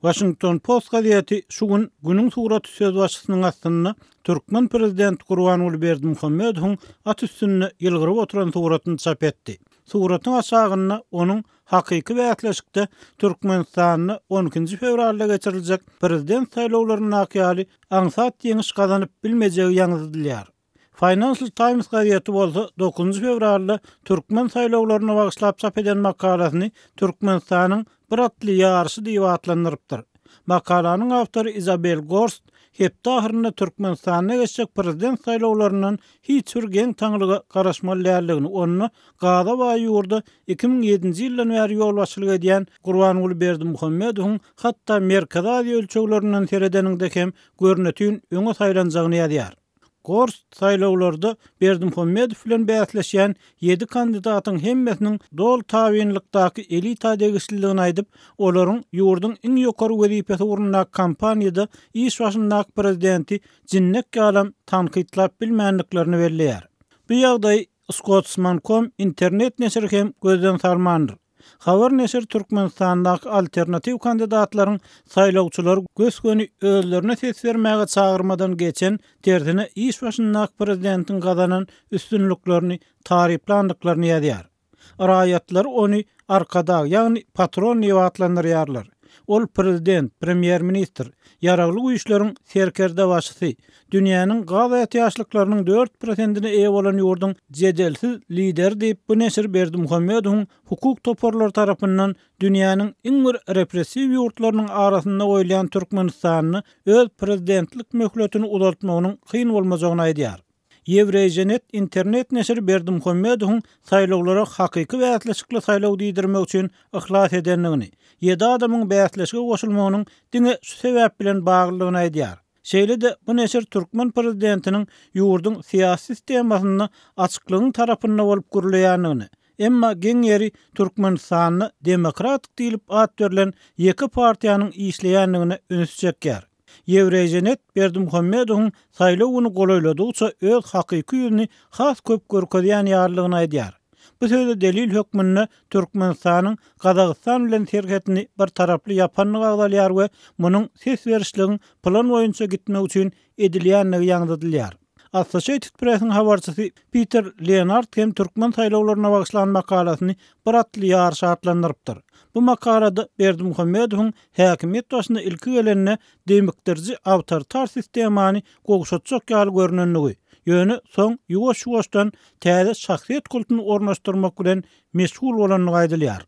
Washington Post gazeti şu gün Günüň suraty sözbaşysynyň astynda türkmen prezidenti Gurbanguly Berdimuhamedowyň at üstünde ýylgyryp oturan suratyny çap etdi. Suratyň aşagynda onuň hakyky bäsleşikde Türkmenistanda on ikinji fewralda geçiriljek prezident saýlawlaryndaky ýaly aňsat ýeňiş gazanyp bilmejegi ýaňzydylýar. Financial Times gazeti bolsa dokuzynjy fewralda türkmen saýlawlaryna bagyşlap çap eden makalasyny Türkmenistanyň bir atly ýaryşy diýip atlandyrypdyr. Makalanyň awtory Izabel Gorst hepde ahyrynda Türkmenistanda geçjek prezident saýlawlaryndan hiç bir geň-taňlyga garaşmaly däldigini, onda gaza baý ýurda 2007-nji ýyldan bäri ýolbaşçylyk edýän Gurbanguly Berdimuhamedowyň hatda Merkezi Aziýa ölçeglerinden seredeniňde hem görnetin öňe saýlanjagyny ýazýar. Gorst saýlawlarda Berdimuhamedow bilen bäsleşýän ýedi kandidatyň hemmesiniň doly tabynlykdaky elita degişlidigini aýdyp, olaryň ýurduň iň ýokary wezipesi ugrundaky kampaniýada iş başyndaky prezidenti jinnek ýalam tankytlap bilmändiklerini belleýär. Bu ýagdaýy Scotsman.com internet neşiri hem gözden salmandyr. Habar neşiri Türkmenistandaky alternatiw kandidatlaryň saýlawçylary gös-göni özlerine ses bermäge çagyrmadan geçen, tersine iş başyndaky prezidentiň gazanan üstünliklerini taryplandyklaryny ýazýar. Raýatlar ony Arkadag, ýagny patron diýip atlandyrýarlar. Ol prezident, premýer-ministr, Ýaragly Güýçleriň serkerdebaşysy, dünýäniň gaz ätiýaçlyklarynyň dört prosentine eýe bolan ýurduň jedelsiz lideri diýip, bu neşir Berdimuhamedowyň hukuk toparlary tarapyndan dünýäniň iň bir repressiw ýurtlarynyň arasynda goýulýan Türkmenistanda öz prezidentlik möhletini uzaltmagynyň kyn bolmajagyny aýdýar. Ýewreýženet internet neşiri Berdimuhamedowyň saýlawlara hakyky bäsleşikli saýlaw diýdirmek üçin yhlas edendigini, ýedi adamyň bäsleşige goşulmagynyň diňe şu sebäp bilen baglydygyny aýdýar. Şeýle-de bu neşir türkmen prezidentiniň ýurduň syýasy sistemasynda açyklygyň tarapynda bolup gürleýändigini, emma geň ýeri Türkmenistanda demokratik diýlip at berlen ýeke partiýanyň işleýändigine üns çekýär. Ýewreýženet Berdimuhamedowyň saýlaw güni golaýladygyça öz hakyky ýüzüni has köp görkezýän ýalydygyny aýdýar. Bu söze delil hökmünde Türkmenistanyň Gazagystan bilen serhetini bir taraply ýapandygy agzalýar we munuň ses berişligiň plan boýunça gitmegi üçin edilýändigi ýaňzydylýar. Associated Press-iň habarçysy Piter Lenard hem türkmen saýlawlaryna bagyşlan makalasyny Bir atly ýaryş atlandyrypdyr. Bu makalada Berdimuhamedowyň häkimiýet başyna ilki gelende demikdiriji awtoritar sistemany gowşatjak ýaly görnendigi, ýöne soň ýuwaş-ýuwaşdan täze şahsyýet kultuny ornaşdyrmak bilen meşgul bolandygy aýdylýar.